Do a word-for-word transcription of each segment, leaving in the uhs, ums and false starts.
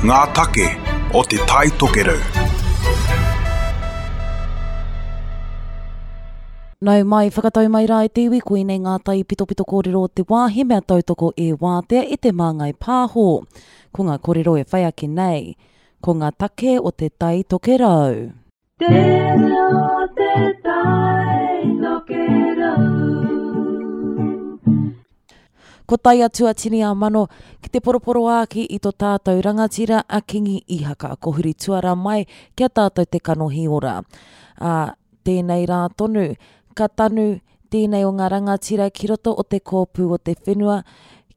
Ngā take o Te Tai Tokerau. Nau mai, whakatau mai rā e te iwi, koinei ngā tai pitopito kōrero o te wā, he mea tautoko e wātea e te Māngai Pāho. Ko ngā kōrero e whai ake nei, ko ngā take o Te Tai Tokerau. Te reo te tai tokerau. Ko tae atu a Tini a Mano ki te poroporoāki i to tātou rangatira a Kingi Ihaka, ko huri tuara mai kia tātou te kanohi ora. Ā, tēnei rā tonu, ka tanu tēnei o ngā rangatira ki roto o te kōpū o te whenua,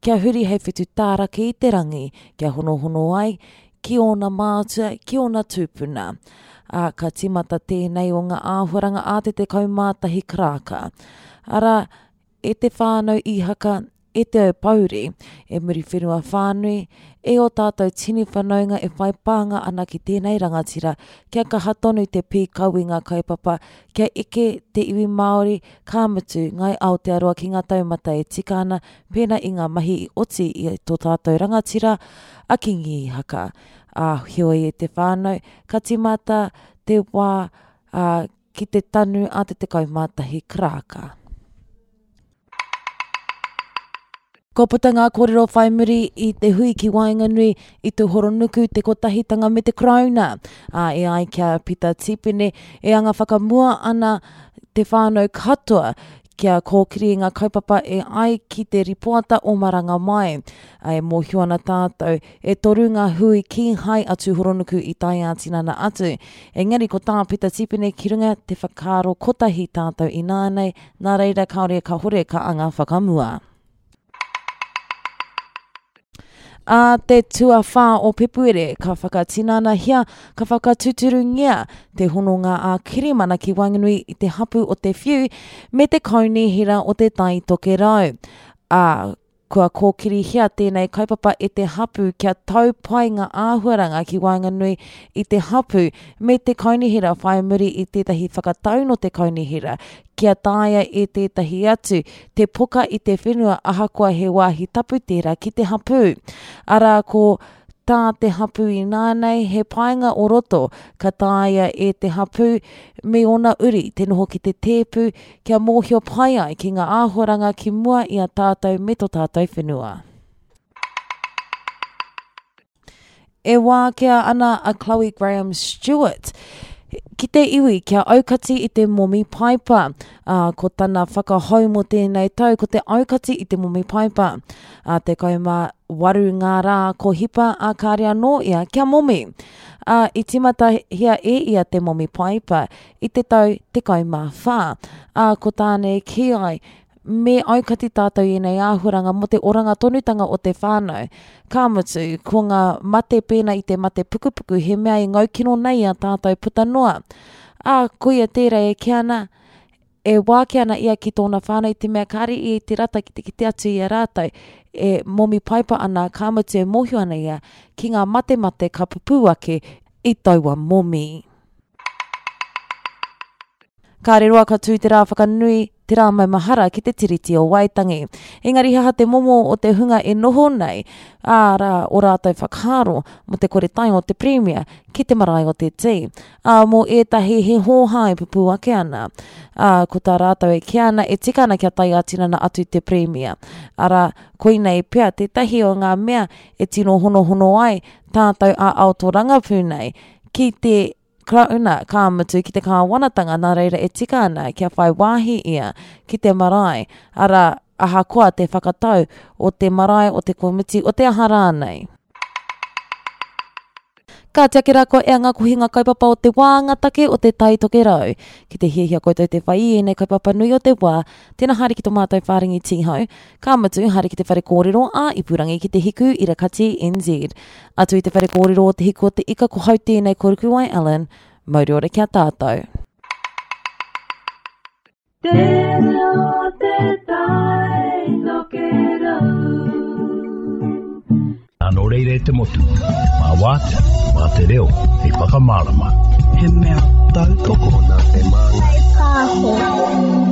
kia huri hei whetu tārake i te rangi, kia honohono ai ki ōna mātua, ki ōna tūpuna. Ā, ka tīmata tēnei o ngā āhuaranga a te tekau mā tahi karaka. Arā, e te whānau Ihaka, e te Aupouri, e Muriwhenua whānui, e ō tātou tini whanaunga e whai pānga ana ki tēnei rangatira, kia kaha tonu te pīkau i ngā kaupapa, kia eke te iwi Māori, ka mutu, Ngāi Aotearoa ki ngā taumata e tika ana, pēnā i ngā mahi i oti i tō tātou rangatira, a Kingi Ihaka. Ā, heoi e te whānau, ka tīmata te wā, ā, ki te tanu a te tekau mā tahi karaka. Kua puta ngā kōrero whai muri i te hui ki waenganui i Tūhoronuku, Te Kotahitanga me te Karauna. Ā, e ai ki a Pita Tipene, e anga whakamua ana te whānau katoa kia kōkiri i ngā kaupapa e ai ki te ripoata o Maranga Mai. Ā, e mōhio ana tātou, e toru ngā hui kīhai a Tūhoronuku i tae ā-tinana atu. Engari ko tā Pita Tipene ki runga te whakaaro kotahi tātou ināianei, nā reira kāore kahore ka anga whakamua. Ā te tuawhā o Pepuere, ka whakatinanahia, ka whakatūturungia te hononga ā-kirimana ki waenganui i te hapū o Te Whiu me te Kaunihera o Te Tai Tokerau. Ā, kua kōkirihia tēnei kaupapa e te hapū kia tau pai ngā āhuaranga ki waenganui i te hapū me te kaunihera whai muri i tētahi whakatau nō te kaunihera kia taea e tētahi atu te poka i te whenua ahakoa he wāhi tapu tērā ki te hapū. Arā, ko tā te hapū ināianei he painga o roto ka taea e te hapū me ōna uri te noho ki te tēpu kia mōhio pai ai ki ngā āhuaranga ki mua i a tātou me tō tātou whenua. E wākea ana a Chloe Graham Stewart ki te iwi kia aukati i te momi paipa. Ā, ko tana whakahau mō tēnei tau ko te aukati i te momi paipa. Ā, tekau mā waru ngā rā ko hipa, ā, kāre anō ia kia momi. Ā, i tīmatahia e ia te momi paipa i te tau tekau mā whā. Ā, ko tāna e kī ai, me aukati tātou i ēnei āhuaranga mō te oranga tonutanga o te whānau. Ka mutu, ko ngā mate pēnā i te mate pukupuku he mea e ngaukino nei i a tātou puta noa. Ā, koia tērā e kī ana, e wākia ana ia ki tōna whānau i te mea kāre ia i te rata ki te kite atu i a rātou e momi paipa ana, ka mutu e mōhio ana ia ki ngā matemate ka pupū ake i taua momi. Kāre roa ka tū te rā whakanui, te rā maumahara ki te Tiriti o Waitangi. Engari he aha te momo o te hunga e noho nei, ā rā, o rātou whakaaro mō te kore tae o te Pirimia ki te marae o te Tī. Ā, mō ētahi he hōhā e pupū ake ana. Ā, ko tā rātou e kī ana, e tika ana kia tae ā-tinana atu te Pirimia. Arā, koinei pea tētahi o ngā mea e tino honohono ai tātou ā-ao tōrangapū nei ki te Karauna, ka mutu ki te kāwanatanga nā reira e tika ana kia whai wāhi ia ki te marae, arā, ahakoa te whakatau o te marae o te komiti o te aha rānei. Ka tiaki rā koe e ngā kohinga kaupapa o te wā, ngā take o te Tai Tokerau. Ki te hiahia koutou te whai i ēnei kaupapa nui o te wā, tēnā haere ki tō mātou whārangi tīhau, ka mutu haere ki te whare kōrero ā ipurangi ki te Hiku Irakati N Z. Atu i te whare kōrero o Te Hiku o te Ika ko hau tēnei ko Rukuwai Allen. Mauri ora ki a tātou. Te reo te tai tokerau. Nā nō reira e te motu, mā wātea, mā te reo, hei whakamārama. He mea tautoko nā te Māngai Pāho.